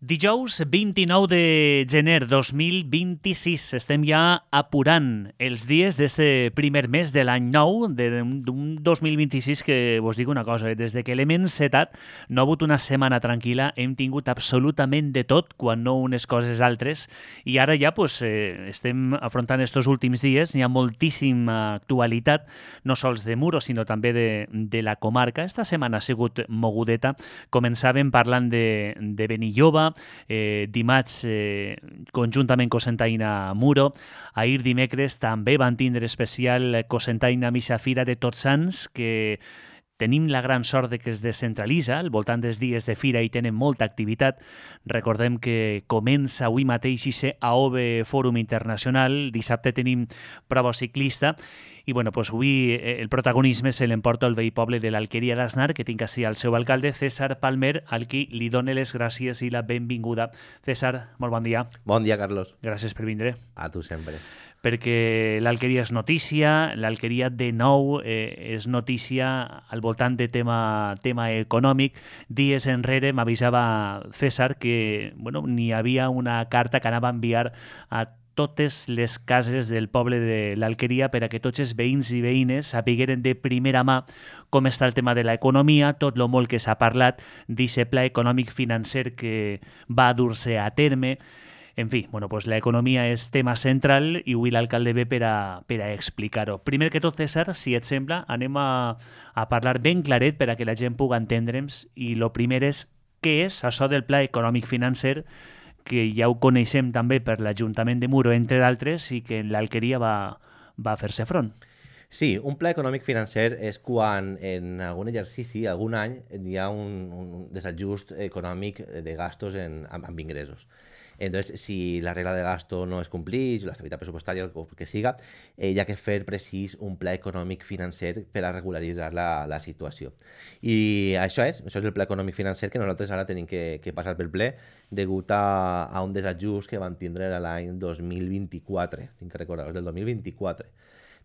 Dijous 29 de gener 2026. Estem ja apurant els dies d'este primer mes de l'any nou, d'un 2026 que vos dic una cosa, des de que l'hem encetat no ha hagut una setmana tranquil·la, hem tingut absolutament de tot, quan no unes coses altres, i ara ja estem afrontant estos últims dies, hi ha moltíssima actualitat, no sols de Muro, sinó també de la comarca. Esta setmana ha sigut mogudeta, començàvem parlant de Benilloba, dimarts conjuntament Cocentaina Muro, ahir dimecres també van tindre especial Cocentaina Missa Fira de Tots Sants, que tenim la gran sort de que es descentralitza, al voltant dels dies de fira i tenen molta activitat. Recordem que comença avui mateix i AOVE Fòrum Internacional, dissabte tenim prova ciclista, i avui el protagonisme se l'emporta el veí poble de l'Alqueria d'Asnar, que tinc així el seu alcalde, César Palmer, al qui li dóna les gràcies i la benvinguda. César, molt bon dia. Bon dia, Carlos. Gràcies per vindre. A tu sempre. Perquè l'Alqueria és notícia, l'Alqueria de nou és notícia al voltant de tema econòmic. Dies enrere m'avisava César que n'hi havia una carta que anava a enviar a totes les cases del poble de l'Alqueria per a que tots els veïns i veïnes sapigueren de primera mà com està el tema de l'economia, tot lo molt que s'ha parlat d'aquest pla econòmic financer que va dur-se a terme. En fi, l'economia és tema central i avui l'alcalde ve per a explicar-ho. Primer que tot, César, si et sembla, anem a parlar ben claret per a que la gent pugui entendre'ns, i el primer és què és això del pla econòmic financer, que ja ho coneixem també per l'Ajuntament de Muro, entre d'altres, i que en l'Alqueria va fer-se front. Sí, un pla econòmic financer és quan en algun exercici, algun any, hi ha un desajust econòmic de gastos amb ingressos. Entonces, si la regla de gasto no es compleix, l'estabilitat pressupostària, el que siga, hi ha que fer precís un pla econòmic financer per a regularitzar la situació. I això és el pla econòmic financer que nosaltres ara tenim que passar pel ple degut a un desajust que vam tindre l'any 2024, tinc que recordar, del 2024.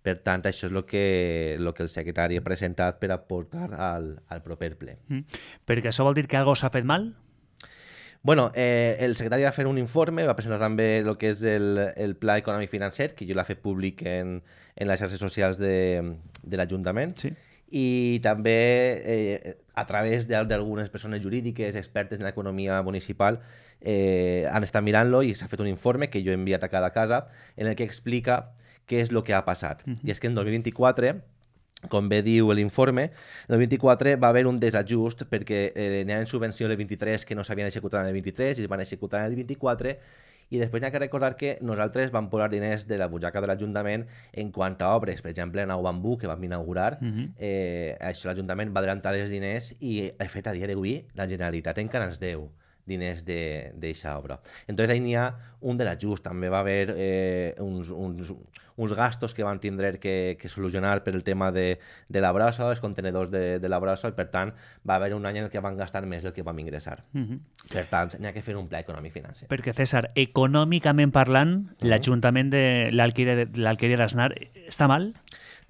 Per tant, això és el que el secretari ha presentat per a portar al proper ple. Perquè això vol dir que alguna cosa s'ha fet mal? Bueno, el secretari va fer un informe, va presentar també el que és el pla econòmic financer, que jo l'ha fet públic en les xarxes socials de l'Ajuntament, sí. I també a través d'algunes persones jurídiques expertes en l'economia municipal han estat mirant-lo i s'ha fet un informe que jo he enviat a cada casa en el que explica què és el que ha passat. I és que en 2024... com bé diu l'informe, en el 24 va haver un desajust perquè n'hi ha subvenció el 23 que no s'havien executat en el 23 i es van executar en el 24, i després n'hi ha que recordar que nosaltres vam posar diners de la butxaca de l'Ajuntament en quant a obres. Per exemple, Nou Bambú, que vam inaugurar, això l'Ajuntament va adelantar els diners i, de fet, a dia d'avui, la Generalitat encara ens deu diners d'eixa obra. Entonces, ahí n'hi ha un desajust. També va haver uns gastos que vam tindre que solucionar per el tema de la brossa, els contenedors de la brossa, i per tant va haver un any en què vam gastar més del que vam ingressar. Per tant, n'hi ha que fer un pla econòmic financer. Perquè, César, econòmicament parlant, l'Ajuntament de l'Alqueria d'Asnar està mal?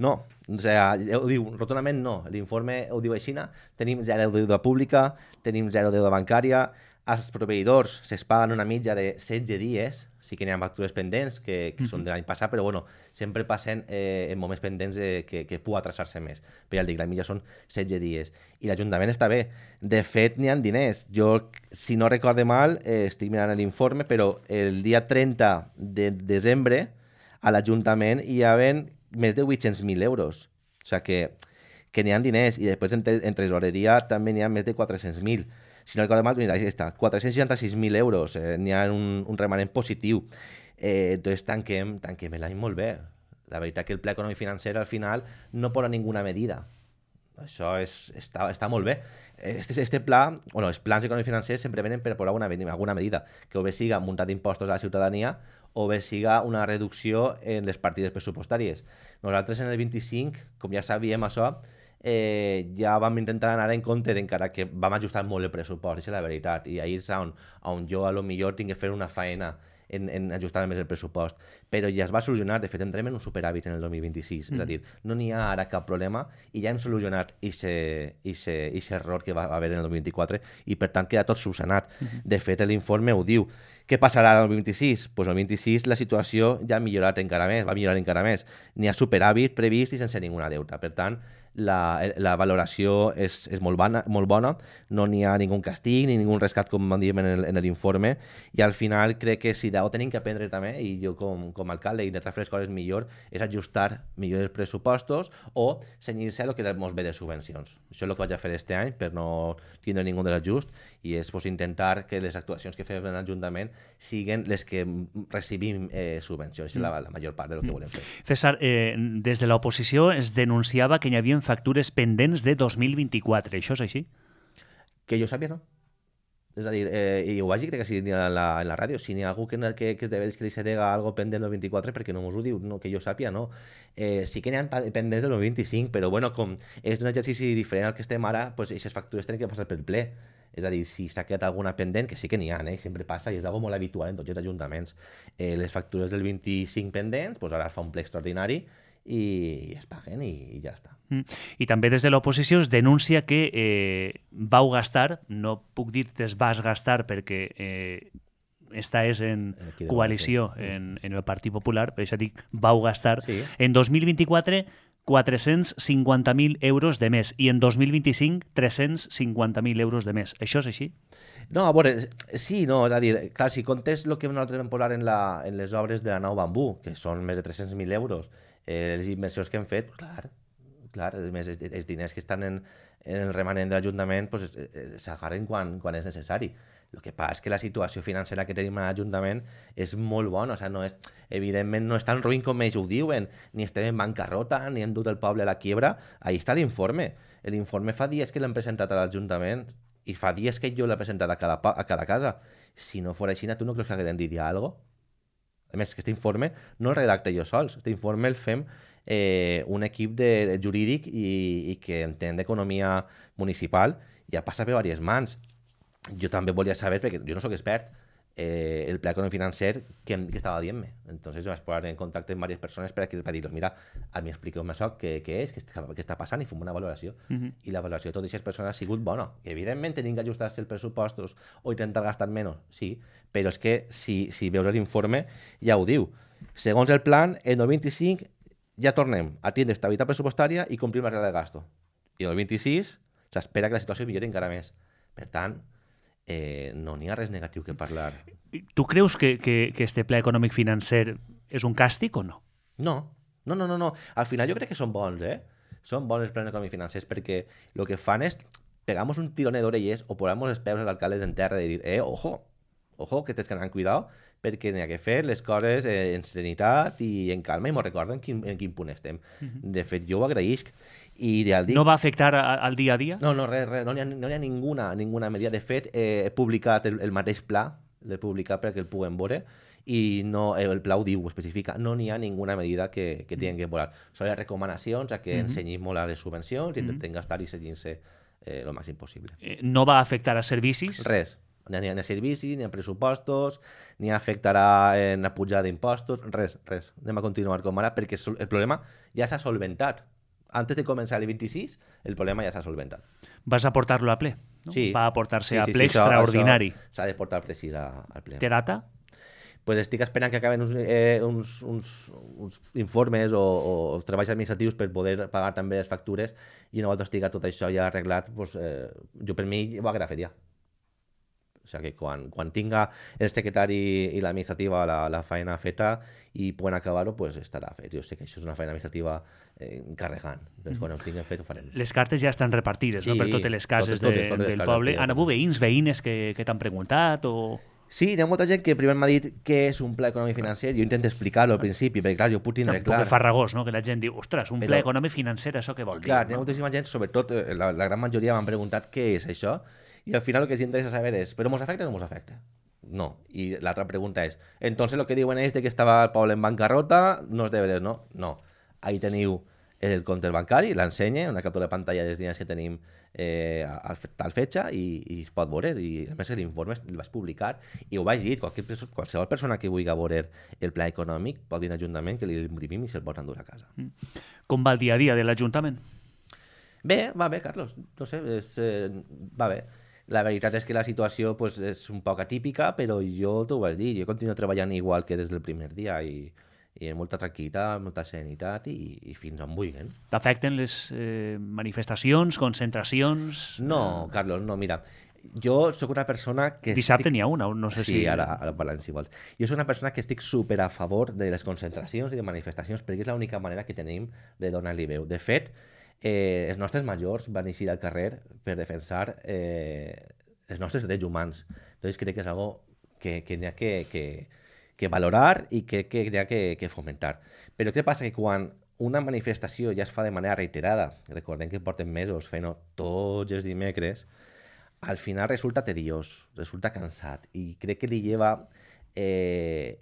No, o sigui, ho diu rotundament no. L'informe ho diu així, tenim 0 de deuda pública, tenim 0 de deuda bancària, els proveïdors se'ls paguen una mitja de 16 dies, sí que n'hi ha factures pendents que són de l'any passat, però sempre passen en moments pendents que pugui atrasar-se més. Però ja el dic, la mitja són 16 dies. I l'Ajuntament està bé. De fet, n'hi ha diners. Jo, si no recorde mal, estic mirant l'informe, però el dia 30 de desembre a l'Ajuntament hi havien més de 800.000 euros. O sigui que n'hi ha diners. I després en tresoreria també n'hi ha més de 400.000. Si no recordo mal, mira, ahí està, 466.000 euros, n'hi ha un remanent positiu. Entonces tanquem l'any molt bé. La veritat que el pla econòmic financer al final no posa ninguna medida. Això està molt bé. Este pla, els plans econòmics financers sempre venen per posar alguna medida, que o bé siga muntar d'impostos a la ciutadania o bé siga una reducció en les partides pressupostàries. Nosaltres en el 25, com ja sabíem això, ja vam intentar anar en compte, encara que vam ajustar molt el pressupost, això és la veritat, i ahir és on jo a lo millor tinc que fer una faena en ajustar més el pressupost, però ja es va solucionar. De fet, entrem en un superàvit en el 2026. És a dir, no n'hi ha ara cap problema i ja hem solucionat aquest error que va haver en el 2024 i, per tant, queda tot solucionat. De fet, l'informe ho diu. Què passarà el 26? Pues el 26 la situació ja ha millorat encara més, va millorar encara més. N'hi ha superàvit previst i sense ninguna deuta. Per tant, la valoració és molt bona, no n'hi ha ningú castig ni ningú rescat, com diem en l'informe, i al final crec que si d'algú tenim que aprendre també, i jo com a alcalde intentar fer les coses millor, és ajustar millor els pressupostos o cenyir-se a el que ens ve de subvencions. Això és el que vaig a fer este any per no tindre ningú de l'ajust, i és intentar que les actuacions que fem en l'Ajuntament siguin les que recibim subvencions. És la major part del que volem fer. César, des de l'oposició es denunciava que hi havia factures pendents de 2024. Això és així? Que jo sàpia, no. És a dir, i ho vaig dir, crec que sí, en la ràdio, si n'hi ha algú que li se dega algo pendent del 24, perquè no mos ho diu, no, que jo sàpia, no. Sí que n'hi ha pendents del 25, però bueno, com és un exercici diferent al que estem ara, pues aquestes factures tenen que passar pel ple. És a dir, si s'ha quedat alguna pendent, que sí que n'hi ha, sempre passa, i és algo molt habitual en tots els ajuntaments. Les factures del 25 pendents, pues ara es fa un ple extraordinari i es paguen i ja està. I també des de l'oposició es denuncia que vau gastar, no puc dir que es vas gastar perquè esta és en coalició en el Partit Popular, per això dic vau gastar, en 2024 450.000 euros de més i en 2025 350.000 euros de més. Això és així? No, a veure, sí, no, és a dir, clar, si comptes el que nosaltres vam posar en les obres de la nau Bambú, que són més de 300.000 euros, les inversions que hem fet, clar, els diners que estan en el remanent de l'Ajuntament s'agarren quan és necessari. El que passa és que la situació financera que tenim a l'Ajuntament és molt bona, evidentment no és tan ruïn com ells ho diuen, ni estem en bancarrota, ni hem dut el poble a la quiebra. Ahí està l'informe. L'informe fa dies que l'hem presentat a l'Ajuntament i fa dies que jo l'he presentat a cada casa. Si no fos així, tu no creus que haguem dit algo? A més, aquest informe no el redacte jo sols, aquest informe el fem un equip jurídic i que entén d'economia municipal i ja passa per diverses mans. Jo també volia saber, perquè jo no sóc expert, el pla econòmic financer que estava dient-me. Entonces vaig posar en contacte amb diverses persones per a dir-los, mira, a mi expliqueu-me això, què és, què està passant, i fem una valoració. I la valoració de totes aquestes persones ha sigut bona. Evidentment tenim que ajustar-se els pressupostos o intentar gastar menys, sí, però és que si veus l'informe ja ho diu. Segons el plan, en el 25 ja tornem a tindre estabilitat pressupostària i complim la regla de gasto. I en el 26 s'espera que la situació millori encara més. Per tant, no n'hi ha res negatiu que parlar. Tu creus que este pla econòmic financer és un càstig o no? No. Al final jo crec que són bons, Són bons els plans econòmics financers perquè el que fan és pegar-nos un tirone d'orelles o posar-nos els peus als alcaldes en terra i dir, ojo, que tens que anar amb cuidado perquè n'hi ha que fer les coses en serenitat i en calma i m'ho recordo en quin punt estem. De fet, jo ho agraïsc. No va afectar al dia a dia? No, res, no hi ha ninguna medida. De fet, he publicat el mateix pla, l'he publicat perquè el puguem veure, i no, el pla ho diu, ho especifica, no n'hi ha ninguna medida que tinguin que volar. Són les recomanacions a que ensenyim molt a les subvencions i intentem gastar i seguint-se el màxim possible. No va afectar a servicis? Res. Ni a servicis, ni a pressupostos, ni afectarà en la pujada d'impostos, res. Anem a continuar com ara, perquè el problema ja s'ha solventat. Antes de començar el 26, el problema ja s'ha solventat. Vas a portar-lo a ple? No? Sí. Va a portar-se a ple extraordinari. Això s'ha de portar precís al ple. Té data? Pues estic esperant que acaben uns informes o treballs administratius per poder pagar també les factures i una volta estigui tot això ja arreglat, pues, jo per mi ho haguera fet ja. O sigui que quan tinga el secretari i l'administrativa la feina feta i poden acabar-ho, pues estarà fet. Jo sé que això és una feina administrativa encarregant. Quan ho tinguem fet ho farem. Les cartes ja estan repartides, no? Per totes les cases del poble. Han hagut veïnes que t'han preguntat o... Sí, hi ha molta gent que primer m'ha dit què és un pla econòmic financer. Jo intento explicar-ho al principi, perquè clar, jo ho puc tindre clar. Un poc farragós, no? Que la gent diu, ostres, un pla econòmic financer, això què vol dir? Clar, hi ha moltíssima gent, sobretot la gran majoria m'han preguntat què és això, i al final el que els interessa saber és, però mos afecta o no mos afecta? No. I l'altra pregunta és, entonces lo que diuen ells de que estava el poble en bancarrota no és de veres, no? No. Ahí teniu el compte bancari, l'ensenya, una captura de pantalla dels diners que tenim al fetge i es pot veure. I a més l'informe el vaig publicar i ho vaig dir, qualsevol persona que vulgui veure el pla econòmic pot dir a l'Ajuntament que li imprimim i se'l pot endur a casa. Com va el dia a dia de l'Ajuntament? Bé, va bé, Carlos. No sé, va bé. La veritat és que la situació pues, és un poc atípica, però jo t'ho vaig dir, jo continuo treballant igual que des del primer dia i amb molta tranquil·litat, molta serenitat i fins on vulguin. T'afecten les manifestacions, concentracions? No, Carlos, no, mira, jo sóc una persona que... Dissabte n'hi ha una, no sé si... Sí, ara parlem si vols. Jo sóc una persona que estic super a favor de les concentracions i de manifestacions perquè és l'única manera que tenim de donar-li veu. De fet, els nostres majors van eixir al carrer per defensar els nostres drets humans. Entonces crec que és algo que n'hi ha que valorar i que n'hi ha que fomentar. Però què passa? Que quan una manifestació ja es fa de manera reiterada, recordem que porten mesos fent-ho tots els dimecres, al final resulta tediós, resulta cansat i crec que li lleva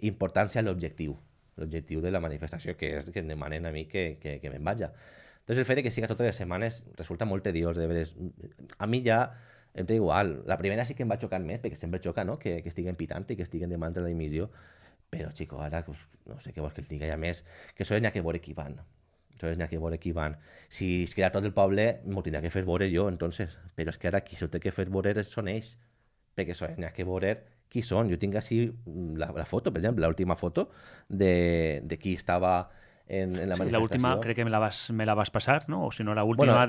importància a l'objectiu de la manifestació, que és que em demanen a mi que me'n vaja. Entonces el fet de que siga totes les setmanes resulta molt tediós, de veres. A mi ja em té igual. La primera sí que em va xocar més, perquè sempre xoca, no?, que estiguen pitant i que estiguen demanant la dimissió. Però, xico, ara no sé què vols que et diga. I a més, que això n'hi ha que veure qui van. Si es queda tot el poble, m'ho tindrà que fer veure jo, entonces. Però és que ara qui s'ho té que fer veure són ells. Perquè això n'hi ha que veure qui són. Jo tinc així la foto, per exemple, l'última foto de qui estava en la manifestació. L'última crec que me la vas passar, no? O si no, l'última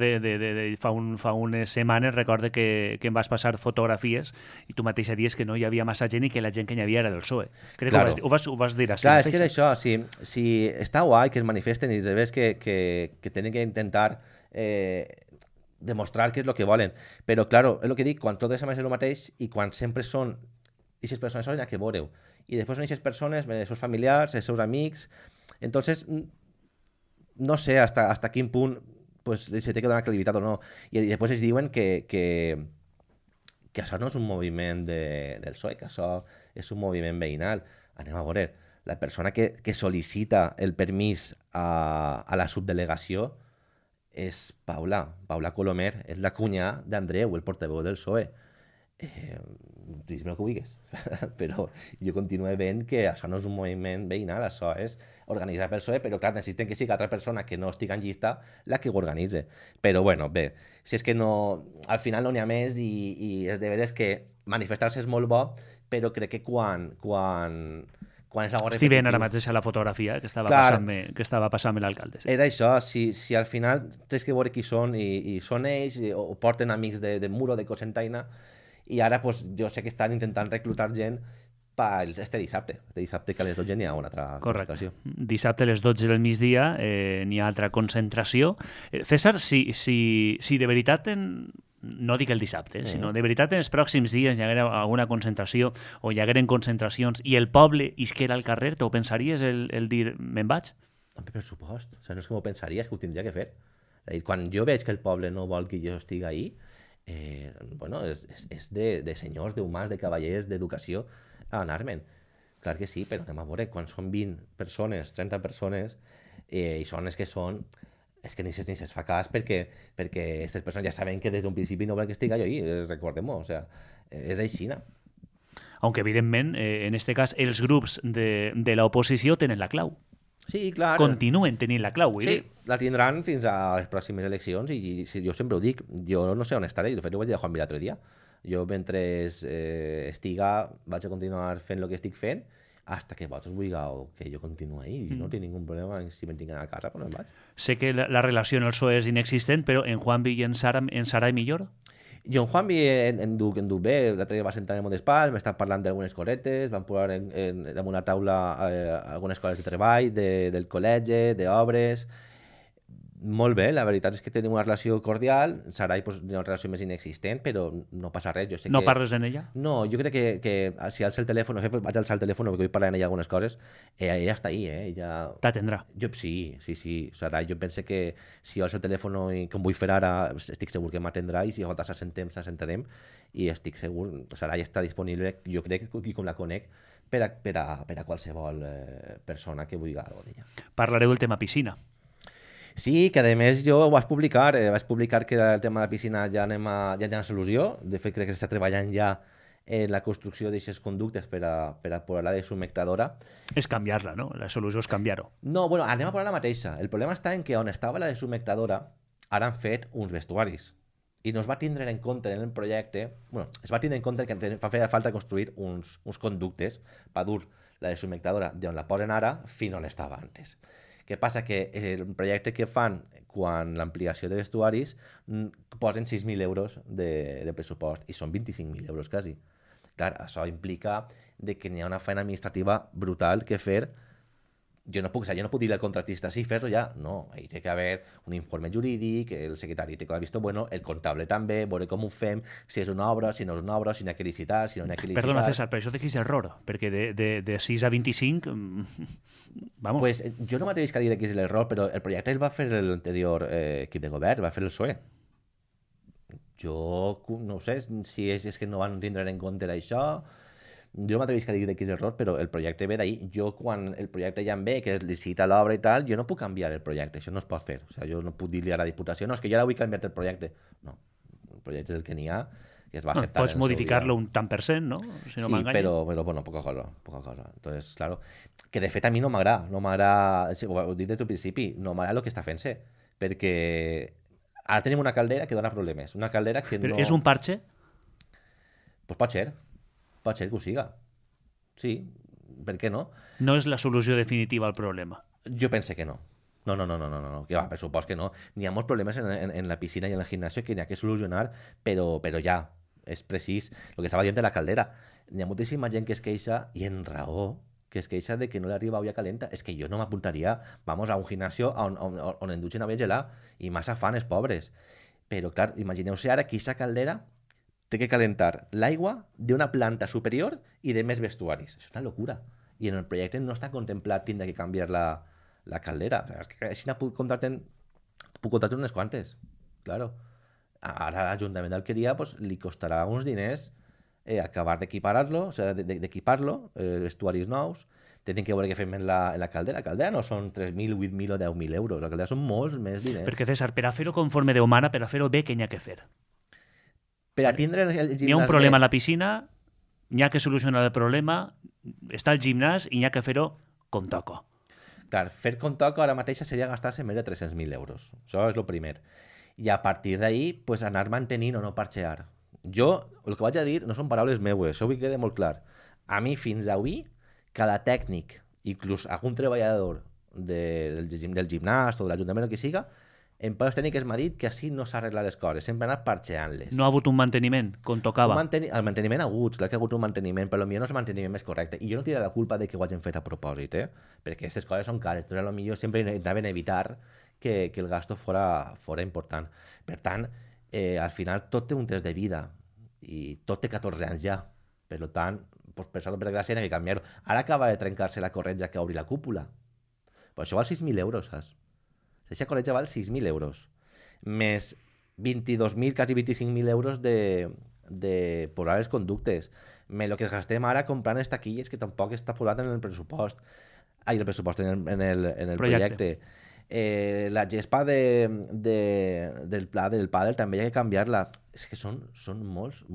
fa unes setmanes recordo que em vas passar fotografies i tu mateixa dies que no hi havia massa gent i que la gent que hi havia era del PSOE. Crec claro. que ho vas dir així. Clar, és que és això, si està guai que es manifesten i es ves que tenen que intentar demostrar què és el que volen, però claro, és el que dic, quan tot és el mateix i quan sempre són aquestes persones solen a que veureu i després són aquestes persones, els seus familiars, els seus amics. Entonces, no sé hasta quin punt pues, se té que donar credibilitat o no. I després es diuen que això no és un moviment del PSOE, que això és un moviment veïnal. Anem a veure, la persona que sol·licita el permís a la subdelegació és Paula Colomer, és la cunyà d'Andreu, el portaveu del PSOE. Digues-me el que vulguis, però jo continuo veient que això no és un moviment veïnal, això és organitzat pel PSOE, però clar, necessiten que sigui altra persona que no estigui en llista la que ho organitze. Però bueno, bé, si és que no, al final no n'hi ha més i és de veres que manifestar-se és molt bo, però crec que quan és algo repetitiu... Estic veient ara mateix a la fotografia que estava passant-me l'alcalde. Sí. Era això, si al final tens que veure qui són i són ells o porten amics de Muro, de Cocentaina, i ara pues, jo sé que estan intentant reclutar gent per este dissabte que a les 12 n'hi ha una altra concentració. Dissabte a les 12 del migdia n'hi ha altra concentració. César, si de veritat no dic el dissabte, sinó de veritat en els pròxims dies hi haguera alguna concentració o hi hagueren concentracions i el poble isquera al carrer, t'ho pensaries el dir me'n vaig? Per supost, o sigui, no és que m'ho pensaria, és que ho tindria que fer. Quan jo veig que el poble no vol que jo estigui ahí, bueno, és de senyors, d'humans, de cavallers, d'educació a anar-me'n. Clar que sí, però anem a veure, quan són 20 persones, 30 persones, i són les que són, és que ni se'ls fa cas perquè aquestes persones ja saben que des d'un principi no volen que estigui allò ahí, recordem-ho, o sigui, és aixina. Aunque evidentment, en este cas, els grups de l'oposició tenen la clau. Sí, clar. Continuen tenint la clau. Sí, la tindran fins a les pròximes eleccions i jo sempre ho dic, jo no sé on estaré, de fet ho vaig dir a Juan Vila l'altre dia. Jo mentre estiga vaig a continuar fent el que estic fent hasta que vosaltres vulgueu que jo continuï ahí. No tinc ningú problema si me'n tinc a casa, però no em vaig. Sé que la relació en el PSOE és inexistent, però en Juanvi i en Sarai millor? Jo en Juanvi en duc bé, l'altre dia va sentar en el meu despatx, m'està parlant d'algunes cosetes, vam posar damunt la taula algunes coses de treball, del col·legi, d'obres. Molt bé, la veritat és que tenim una relació cordial. Sarai pues, una relació més inexistent, però no passa res. Jo sé no parles en ella? No, jo crec que si alça el telèfon, vaig alçar el telèfon perquè vull parlar en ella algunes coses, ella està ahí, ella... T'atendrà? Sí. Sarai, jo penso que si jo alço el telèfon i com vull fer ara, estic segur que m'atendrà i si nosaltres s'assentarem i estic segur, Sarai està disponible, jo crec que com la conec, per a qualsevol persona que vulgui alguna d'ella. Parlareu del tema piscina. Sí, que a més jo ho vaig publicar que el tema de la piscina ja hi ha solució, de fet crec que s'està treballant ja en la construcció d'aquestes conductes per a posar-la de submectadora. És canviar-la, no? La solució és canviar-ho. No, bueno, anem a posar la mateixa. El problema està en que on estava la de submectadora ara han fet uns vestuaris i no es va tindre en compte en el projecte, bueno, es va tindre en compte que feia falta construir uns conductes per dur la de submectadora d'on la posen ara fins on estava antes. Què passa? Que el projecte que fan quan l'ampliació de vestuaris posen 6.000 euros de pressupost i són 25.000 euros quasi. Clar, això implica de que n'hi ha una feina administrativa brutal que fer. Jo no puc dir al contratista, sí, fes-ho ja. No, hi té que haver un informe jurídic, el secretari té que haver visto bueno, el comptable també, veure com ho fem, si és una obra, si no és una obra, si n'hi ha que licitar, si no n'hi ha que licitar. Perdona, César, però això de qui és error? Perquè de 6 a 25... Vamos. Pues jo no m'atrevís a dir que és l'error, però el projecte el va fer l'anterior equip de govern, va fer el PSOE. Jo no sé si és que no van tindre en compte d'això. Jo no m'atrevís a dir que és l'error, però el projecte ve d'ahir. Jo, quan el projecte ja em ve, que es licita l'obra i tal, jo no puc canviar el projecte, això no es pot fer. O sigui, jo no puc dir-li a la Diputació, no, és que jo ara vull canviar el projecte. No, el projecte és el que n'hi ha, que es va acceptar. Pots modificar-lo un tant per cent, no? Si no sí, però bueno, poca cosa. Entonces, claro, que de fet a mi no m'agrada, ho he dit des del principi, no m'agrada el que està fent-se, perquè ara tenim una caldera que dona problemes, una caldera que però no... és un parche? Pues pot ser que ho siga. Sí, per què no? No és la solució definitiva al problema. Jo pense que no. No, que va, per supost que no. N'hi ha molts problemes en la piscina i en el gimnasio que n'hi ha que solucionar, però ja, és precís el que estava dient de la caldera. N'hi ha moltíssima gent que es queixa, i en raó, que es queixa de que no li arriba olla calenta. És que jo no m'apuntaria, vamos, a un gimnasio on en dutxen olla gelada, i massa fan els pobres. Però, clar, imagineu-se ara que aquesta caldera té que calentar l'aigua d'una planta superior i de més vestuaris. Això és una locura. I en el projecte no està contemplat tindre que canviar la caldera. O sigui, és que així puc contractar unes quantes. Claro. Ara a l'Ajuntament d'Alqueria pues, li costarà uns diners acabar d'equipar-lo, o sigui, d'equipar-lo, vestuaris nous, tenen que veure què fem en la caldera. La caldera no són 3.000, 8.000 o 10.000 euros. La caldera són molts més diners. Perquè, César, per a fer-ho conforme Déu mana, per a fer-ho bé, què n'hi ha que fer? Per a tindre el gimnàs... N'hi ha un problema a la piscina, n'hi ha que solucionar el problema, està el gimnàs i n'hi ha que fer-ho com toca. Clar, fer com toca ara mateix seria gastar-se més de 300.000 euros. Això és el primer. I a partir d'ahir, pues, anar mantenint o no parxear. Jo, el que vaig a dir no són paraules meues, això vull que quede molt clar. A mi, fins avui, cada tècnic, inclús algun treballador del gimnàs o de l'Ajuntament o qui siga, en paraules tècniques m'ha dit que així no s'ha arreglat les coses, sempre ha anat parxeant-les. No ha hagut un manteniment, com tocava. El manteniment ha hagut, clar que ha hagut un manteniment, però potser no és el manteniment més correcte. I jo no tiraré la culpa de que ho hagin fet a propòsit, perquè aquestes coses són cares, però potser sempre anaven a evitar que el gasto fora important. Per tant, al final tot té un test de vida i tot té 14 anys ja. Per tant, pues, per sort, per gràcia, hi ha que canviar-ho. Ara acaba de trencar-se la corretja que obri la cúpula. Però això val 6.000 euros, saps? Aquesta corretja val 6.000 euros. Més 22.000, quasi 25.000 euros de posar els conductes. Més el que gastem ara comprant les taquilles que tampoc està posat en el pressupost. El pressupost, en el projecte. La gespa del pla del pàdel també hi ha que canviar-la. És que són molts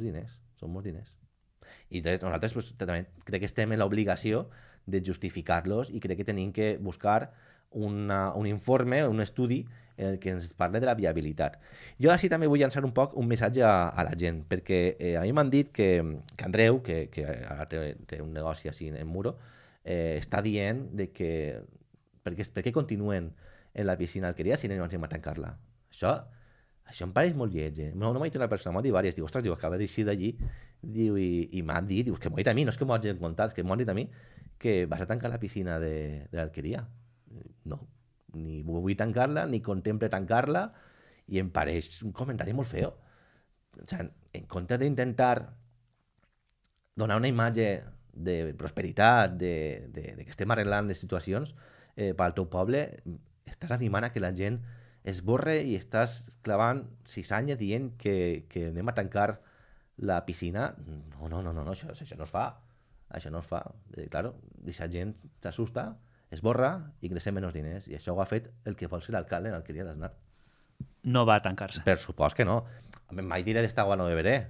diners. Són molts diners. I nosaltres pues, també crec que estem en l'obligació de justificar-los i crec que tenim que buscar un informe, un estudi en el que ens parle de la viabilitat. Jo així també vull llançar un poc un missatge a la gent, perquè a mi m'han dit que Andreu, que ara té un negoci així en Muro, està dient de que per què continuen en la piscina Alqueria si no ens anem a tancar-la. Això em pareix molt lleig. No m'ha dit una persona, m'ha dit diverses. Diu, ostres, acaba d'eixir d'allí i m'ha dit, que m'ho ha dit a mi, no és que m'ho hagin contat, és que m'ho han dit a mi que vas a tancar la piscina de l'Alqueria. No, ni vull tancar-la, ni contemple tancar-la, i em pareix un comentari molt feo. O sigui, en comptes d'intentar donar una imatge de prosperitat, de que estem arreglant les situacions pel teu poble, estàs animant a que la gent esborre i estàs clavant ciçanya dient que anem a tancar la piscina. No, això no es fa. Això no es fa. Claro, aquesta gent s'assusta esborra, ingressem menys diners. I això ho ha fet el que vol ser l'alcalde en l'alqueria d'Aznar. No va a tancar-se. Per supost que no. Mai diré d'esta agua no beberé,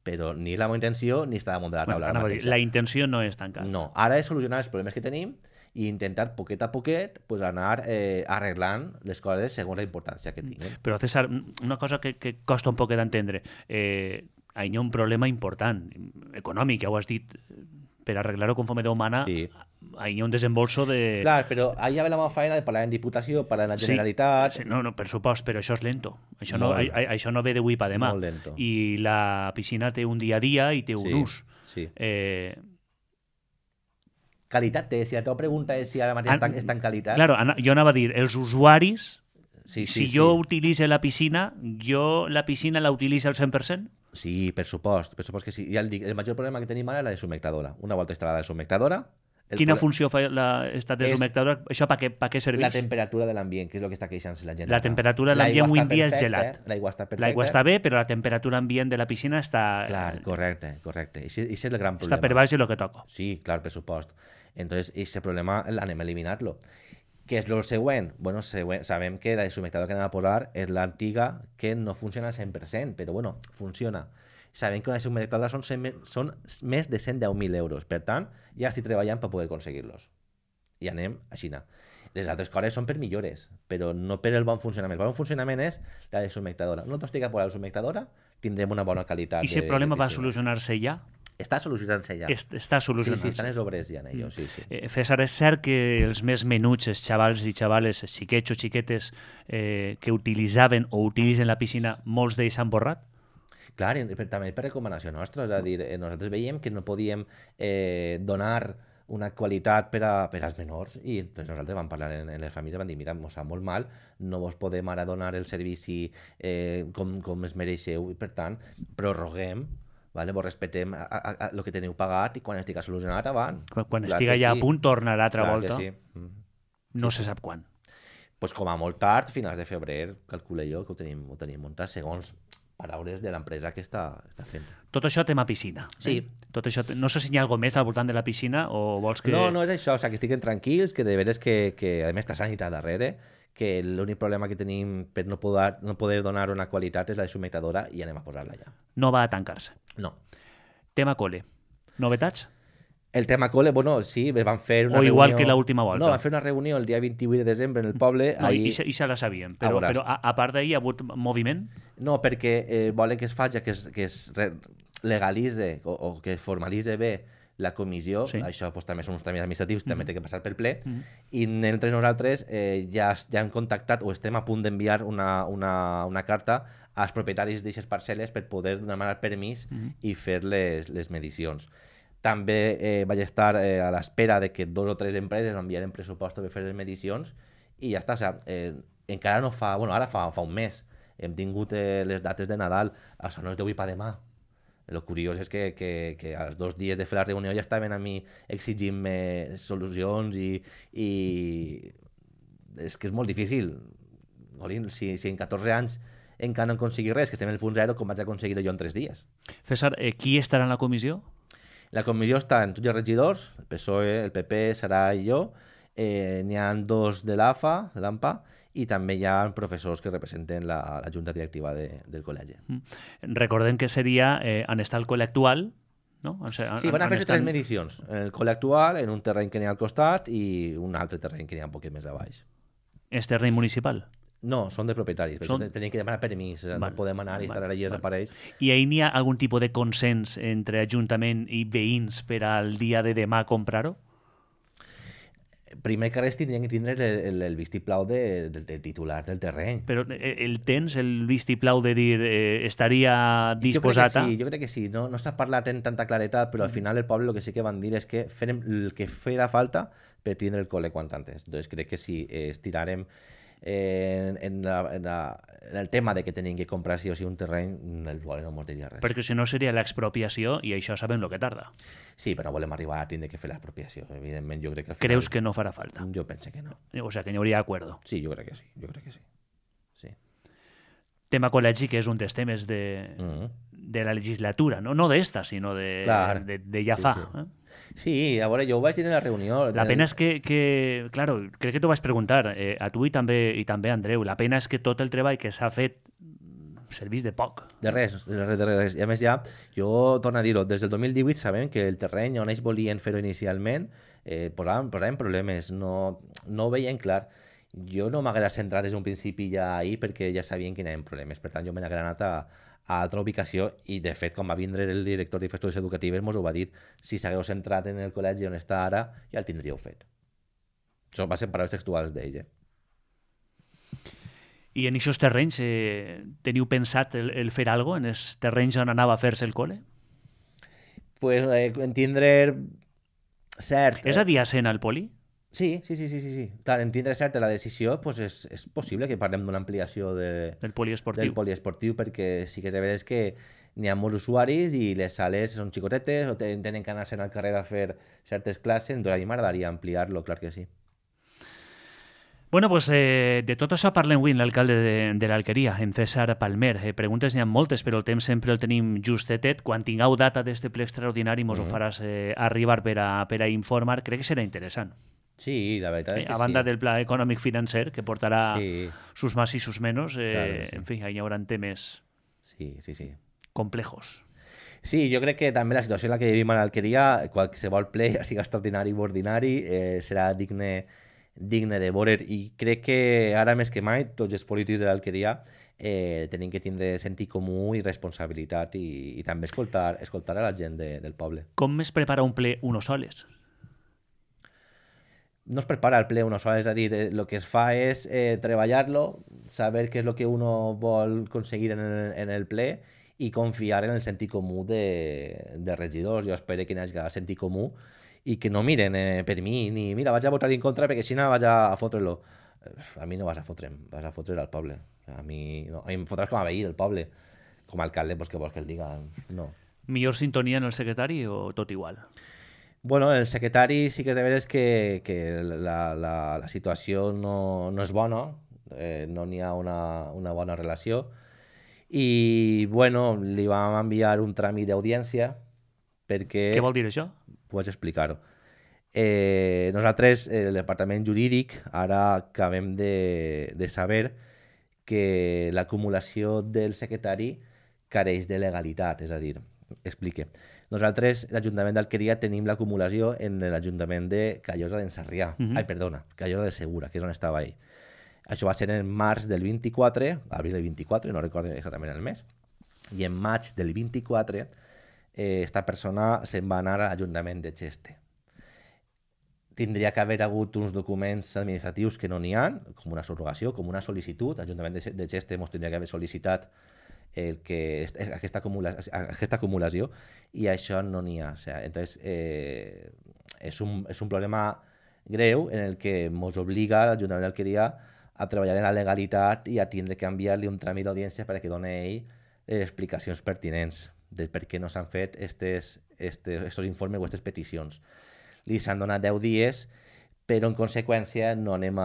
però ni la meva intenció ni està damunt de la taula ara mateix. La intenció no és tancar. No, ara és solucionar els problemes que tenim i intentar poquet a poquet pues, anar arreglant les coses segons la importància que tinguen. Però, César, una cosa que costa un poc d'entendre. Hi ha un problema important, econòmic, ja ho has dit, per arreglar-ho conforme Déu mana, Sí. hi ha un desembolso de... Clar, però allà ve la meva feina de parlar en Diputació, parlar en la Generalitat... Sí, no, per supost, però això és lento. Això no ve d'avui per demà. Molt lento. I la piscina té un dia a dia i té un ús. Sí. Qualitat té. Si la teva pregunta és si ara mateix està en qualitat... Claro, jo anava a dir, els usuaris, Sí, si jo utilitzo la piscina la utilitzo al 100%? Sí, per supost que sí. Ja el dic, el major problema que tenim ara és la desumectadora. Una volta instal·lada la desumectadora... Quina funció fa esta desumectadora? Això per què serveix? La temperatura de l'ambient, que és el que està queixant-se la gent. La temperatura de l'ambient avui en dia és gelat. L'aigua està perfecta. L'aigua està bé, però la temperatura ambient de la piscina està... Clar, correcte. I és el gran problema. Està per baix de lo que toca. Sí, clar, per supost. Entonces, ese problema anem a eliminar-lo. Què és el següent? Bueno, sabem que la desumectadora que anem a posar és l'antiga que no funciona al 100%, però bueno, funciona. Sabem que una desumectadora són més de 110.000 euros. Per tant, ja estic treballant per poder aconseguir-los. I anem a Xina. Les altres coses són per millores, però no per el bon funcionament. El bon funcionament és la desumectadora. No t'estic a posar la desumectadora, tindrem una bona qualitat. I si el problema va solucionar-se ja? Està solucionant-se ja. Està solucionant-se. Sí, estan les obres ja en ello, sí. César, és cert que els més menuts, els xavals i xavales, els xiquets o xiquetes que utilitzaven o utilitzen la piscina, molts d'ells s'han borrat? Clar, també per recomanació nostra, és a dir, nosaltres veiem que no podíem donar una qualitat per als menors i doncs nosaltres vam parlar en les famílies, vam dir, mira, ens sap molt mal, no vos podem ara donar el servici com es mereixeu i per tant prorroguem, vale? Vos respetem el que teniu pagat i quan estigui solucionat avant. Quan estigui ja a punt tornarà altra volta. Sí. No se sap quan. Pues com a molt tard, finals de febrer, calculo jo que ho tenim muntat segons paraules de l'empresa que està fent. Tot això tema piscina. Sí. Tot això, no sé si hi ha alguna més al voltant de la piscina o vols que... No és això, o sigui, que estiguin tranquils, que de veres que a més està sanitat darrere, que l'únic problema que tenim per no poder donar una qualitat és la desumectadora i anem a posar-la ja. No va a tancar-se. No. Tema cole. Novetats? El tema cole, bueno, sí, van fer una reunió... O igual que l'última volta. No, van fer una reunió el dia 28 de desembre en el poble. No, i se la sabien, però a part d'ahir hi ha hagut moviment? No, perquè volen que es faci, que es legalitze o que es formalitze bé la comissió, sí. Això pues, també són uns tràmits administratius, també té que passar per ple, i entre nosaltres ja hem contactat o estem a punt d'enviar una carta als propietaris d'aquestes parcel·les per poder demanar permís i fer les medicions. També vaig estar a l'espera de que 2 o 3 empreses enviaren pressupostos per fer les medicions i ja està. O sigui, encara no fa... Bueno, ara fa un mes. Hem tingut les dates de Nadal. Això no és d'avui per demà. El curiós és que als 2 dies de fer la reunió ja estaven a mi exigint-me solucions i és que és molt difícil. Si en 14 anys encara no aconseguir res, que estem en el punt 0, com vaig aconseguir jo en 3 dies. César, qui estarà en la comissió? La comissió està en tots els regidors, el PSOE, el PP, Sara i jo, n'hi ha 2 de l'AMPA, i també hi ha professors que representen la junta directiva del col·legi. Recordem que seria on està el col·le actual, no? Sí, van a fer 3 medicions. El col·le actual, en un terreny que n'hi ha al costat, i un altre terreny que n'hi ha un poquet més a baix. És terreny municipal? No, són de propietaris. Tenim que demanar permís, no podem anar i estar allà i desapareix. I ahir n'hi ha algun tipus de consens entre Ajuntament i veïns per al dia de demà comprar-ho? Primer que res tindrien que tindre el vistiplau del titular del terreny. Però tens el vistiplau de dir estaria disposat a... Jo crec que sí. No s'ha parlat en tanta claretat, però al final el poble el que sí que van dir és que farem el que farà falta per tindre el col·le quant antes. Doncs crec que sí, estirarem en el tema de que tenim que comprar sí o sí un terreny, el poble no ens diria res. Perquè si no seria l'expropiació i això sabem el que tarda. Sí, però no volem arribar a tindre que fer l'expropiació. Evidentment, jo crec que... Creus que no farà falta? Jo penso que no. O sigui, que n'hi hauria acuerdo. Sí, jo crec que sí. Sí. Tema col·legi, que és un dels temes de la legislatura, no d'esta, sinó Clar. de ja Sí, fa. sí. Sí, a veure, jo ho vaig dir en la reunió. La pena és que claro, crec que t'ho vaig preguntar a tu i també a Andreu, la pena és que tot el treball que s'ha fet serveix de poc. De res, de res. I a més ja, jo torno a dir-ho, des del 2018 sabem que el terreny on ells volien fer-ho inicialment posaven problemes, no ho veien clar. Jo no m'haguera centrat des d'un principi ja ahir perquè ja sabien que hi havia problemes, per tant jo me n'haguera anat a altra ubicació i de fet quan va vindre el director d'infraestructures educatives mos ho va dir, si s'hagueu centrat en el col·legi on està ara ja el tindríeu fet. Això va ser paraules textuals d'ell. I en aquests terrenys teniu pensat el fer alguna cosa en els terrenys on anava a fer-se el col·le? Pues entendre cert... És adjacent al poli? Sí. Clar, entendre cert la decisió, pues és possible que parlem d'una ampliació del poliesportiu. del poliesportiu, perquè sí que és veritat que n'hi ha molts usuaris i les sales són xicotetes o tenen que anar-se'n al carrer a fer certes classes, doncs a mi m'agradaria ampliar-lo, clar que sí. Bueno, pues de tot això parlem avui amb l'alcalde de l'Alqueria, en César Palmer. Preguntes n'hi ha moltes, però el temps sempre el tenim justetet. Quan tingueu data d'este ple extraordinari mos ho faràs arribar per a informar. Crec que serà interessant. Sí, la veritat és que a banda del pla econòmic financer, que portarà sus más y sus menos, claro, sí. En fi, hi haurà temes complejos. Sí, jo crec que també la situació en la que vivim a l'Alqueria, qualsevol ple, ja sigui extraordinari o ordinari, serà digne de veure, i crec que ara més que mai tots els polítics de l'Alqueria tenim que tindre sentit comú i responsabilitat i també escoltar a la gent del poble. Com es prepara un ple uno soles? No es prepara el ple uno soles, és a dir, el que es fa és treballar-lo, saber què és el que uno vol aconseguir en el ple i confiar en el sentit comú de regidors. Jo espero que hi hagi sentit comú i que no miren per mi, ni mira, vaig a votar en contra perquè així no vaig a fotre-lo. A mi no vas a fotre'm, vas a fotre al poble. A mi em fotràs com a veí del poble. Com a alcalde, pues, que vols que el diga? No. Millor sintonia en el secretari o tot igual? Bueno, el secretari sí que és de veres que la situació no és bona, no n'hi ha una bona relació, i bueno, li vam enviar un tràmit d'audiència perquè... Què vol dir això? Pots explicar-ho. Nosaltres, el departament jurídic, ara acabem de saber que l'acumulació del secretari careix de legalitat, és a dir, explique. Nosaltres, l'Ajuntament d'Alqueria, tenim l'acumulació en l'Ajuntament de Callosa d'en Sarrià. Callosa de Segura, que és on estava ell. Això va ser en març del 24, abril del 24, no recordo exactament el mes, i en maig del 24 esta persona se'n va anar a l'Ajuntament de Xeste. Tindria que haver hagut uns documents administratius que no n'hi ha, com una subrogació, com una sol·licitud. L'Ajuntament de Xeste ens tindria que haver sol·licitat aquesta acumulació i això no n'hi ha. O sea, entonces, és un problema greu en el que ens obliga l'Ajuntament d'Alqueria a treballar en la legalitat i a tindre que enviar-li un tràmit d'audiència perquè doni ell explicacions pertinents de per què no s'han fet estos informes o aquestes peticions. Li s'han donat 10 dies, però en conseqüència no anem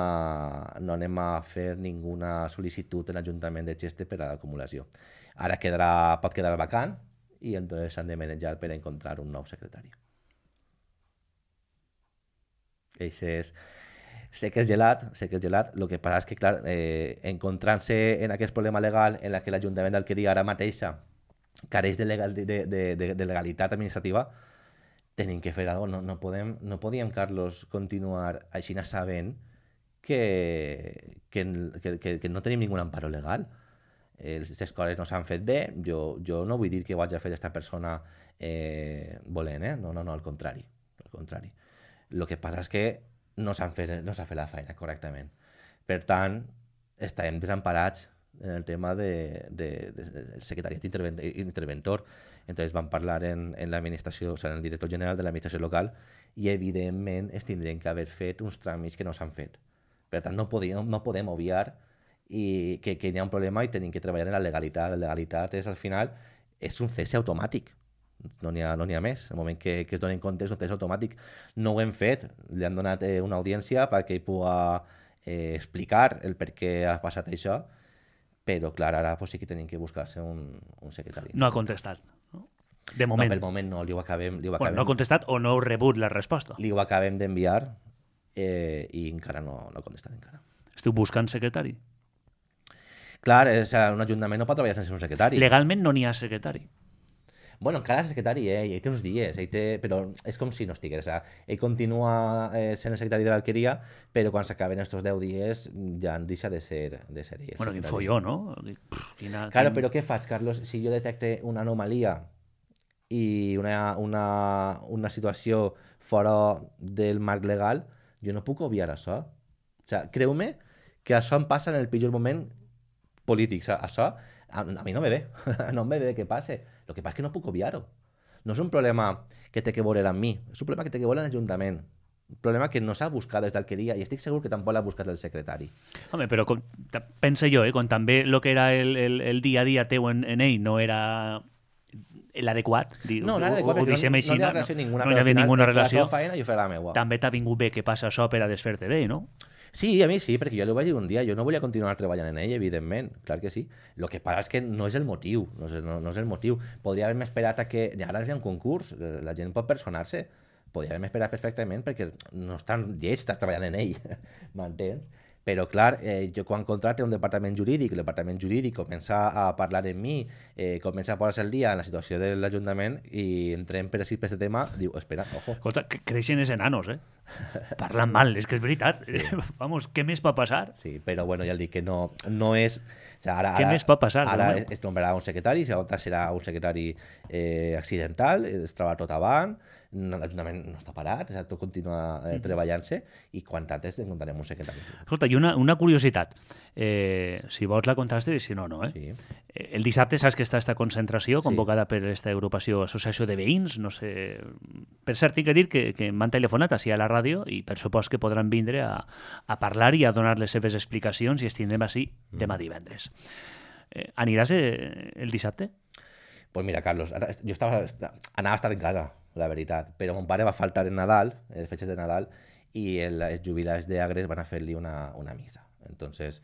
a fer ninguna sol·licitud en l'Ajuntament de Xeste per a l'acumulació. Ara pot quedar vacant i entonces s'han de manejar per a encontrar un nou secretari. Sé que és gelat, el que passa és que, clar, encontrant-se en aquest problema legal en què l'Ajuntament d'Alqueria ara mateixa careix de legalitat administrativa, tenim que fer alguna cosa. No podíem, Carlos, continuar així sabent que no tenim ningú amparo legal. Les coses no s'han fet bé. Jo no vull dir que ho hagi fet aquesta persona volent, no, al contrari. El que passa és que no s'ha fet la feina correctament. Per tant, estarem desemparats en el tema del secretariat interventor. Entonces vam parlar en l'administració, o sigui, en el director general de l'administració local, i evidentment es tindrien que haver fet uns tràmits que no s'han fet. Per tant, no podem obviar que hi ha un problema i tenim que treballar en la legalitat. La legalitat és, al final, és un cese automàtic. No n'hi ha més. En el moment que es donen compte és un cese automàtic. No ho hem fet. Li han donat una audiència perquè ell pugui explicar el per què ha passat això, però clar, ara pues, sí que tenim que buscar-se un secretari. No ha contestat, no? De moment. No, pel moment no, li ho acabem, Bueno, no ha contestat o no heu rebut la resposta. li ho acabem d'enviar i encara no ha contestat encara. Esteu buscant secretari? Clar, un ajuntament no pot treballar sense un secretari. Legalment no n'hi ha secretari. Bueno, encara és secretari, ell té uns dies, però és com si no estigués. Ell continua sent el secretari de l'alqueria, però quan s'acaben estos 10 dies ja deixa de ser ell. Bueno, quin folló, no? Claro, però què faig, Carlos? Si jo detecte una anomalia i una situació fora del marc legal, jo no puc obviar això. O sigui, creu-me que això em passa en el pitjor moment polític. O sigui, això a mi no me ve, no me ve que passe. El que passa és que no puc obviar-ho. No és un problema que té que veure amb mi, és un problema que té que veure amb l'Ajuntament. Un problema que no s'ha buscat des d'alqueria i estic segur que tampoc l'ha buscat el secretari. Home, però pensa jo, quan també el que era el dia a dia teu en ell no era l'adequat, no era adequat, ho deixem així, no hi ha relació ninguna, no hi havia ninguna relació. La seva feina jo faré la meua. També t'ha vingut bé que passa això per a desfer-te d'ell, no? Sí, a mi sí, perquè jo li vaig dir un dia, jo no volia continuar treballant en ell, evidentment, clar que sí. El que passa és que no és el motiu, no és el motiu. Podria haver-me esperat a que... Ara hi ha un concurs, la gent pot personar-se. Podria haver-me esperat perfectament perquè no és tan lleig estar treballant en ell, m'entens? Però, clar, jo quan contracte un departament jurídic, el departament jurídic comença a parlar amb mi, comença a posar-se al dia en la situació de l'Ajuntament i entrem per així per aquest tema, diu, espera, ojo. Escolta, creixen els enanos, Parlen mal, és que és veritat. Sí. Vamos, què més pot passar? Sí, però bueno, ja dic que no és... O sigui, ara, què més pot passar? Ara es nombrarà un secretari, si serà un secretari accidental, es troba tot avant, l'Ajuntament no està parat, tot continua treballant-se i quan antes encontrarem un secretari. Escolta, i una curiositat. Si vols la contrastes i si no, no. Sí. El dissabte saps que està esta concentració convocada per aquesta agrupació Associació de Veïns, no sé... Per cert, tinc que dir que m'han telefonat així a la ràdio i per supost que podran vindre a parlar i a donar les seves explicacions i ens tindrem així demà divendres. Aniràs el dissabte? Pues mira, Carlos, jo anava a estar en casa, la veritat, però mon pare va faltar en Nadal, les fetges de Nadal, i els jubilats d'Agres van a fer-li una missa. Entonces,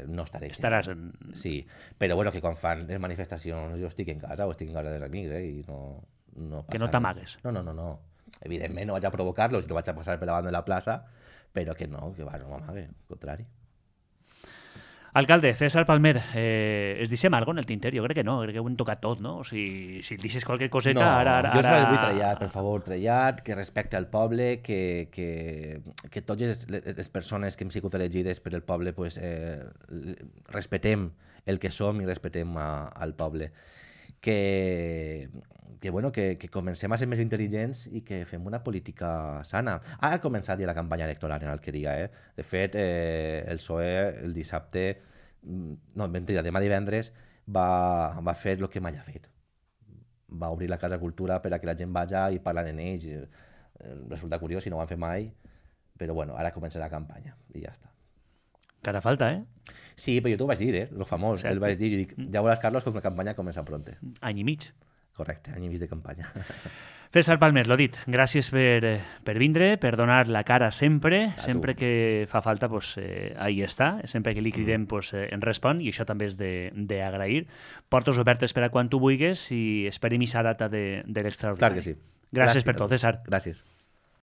no estaré. Estaràs en... Sí, però bueno, que quan fan les manifestacions jo estic en casa o estic en casa dels amics, i no passa que no t'amagues. No. Evidentment no vaig a provocar-los, no vaig a passar per davant de la plaça, però que no m'amague, al contrari. Alcalde, César Palmer, es deixem alguna cosa en el tinter? Jo crec que no, crec que ho hem tocat tot, no? O sigui, si et deixes qualque coseta... No, jo vull trellat, per favor, trellat, que respecte al poble, que totes les persones que hem sigut elegides per el poble pues, respetem el que som i respetem al poble. Que comencem a ser més intel·ligents i que fem una política sana. Ara ha començat ja la campanya electoral en Alqueria. De fet, el PSOE el dissabte, no, mentida, demà divendres, va fer el que mai ha fet. Va obrir la Casa Cultura per a que la gent vagi i parlen en ells. Resulta curiós si no ho han fet mai, però bueno, ara comença la campanya i ja està. Encara falta, Sí, però jo t'ho vaig dir, lo famós. El vaig dir, jo dic, ja veuràs, Carlos, com la campanya comença pronte. Any i mig. Correcte, any i mig de campanya. César Palmer, l'ho dit, gràcies per vindre, per donar la cara sempre, sempre que fa falta, pues, ahí està, sempre que li cridem pues, en respon, i això també és d'agrair. Portes obertes per a quan tu vulguis i esperem aquesta data de l'extraordinari. Clar que sí. Gràcies per tot, César. Gràcies.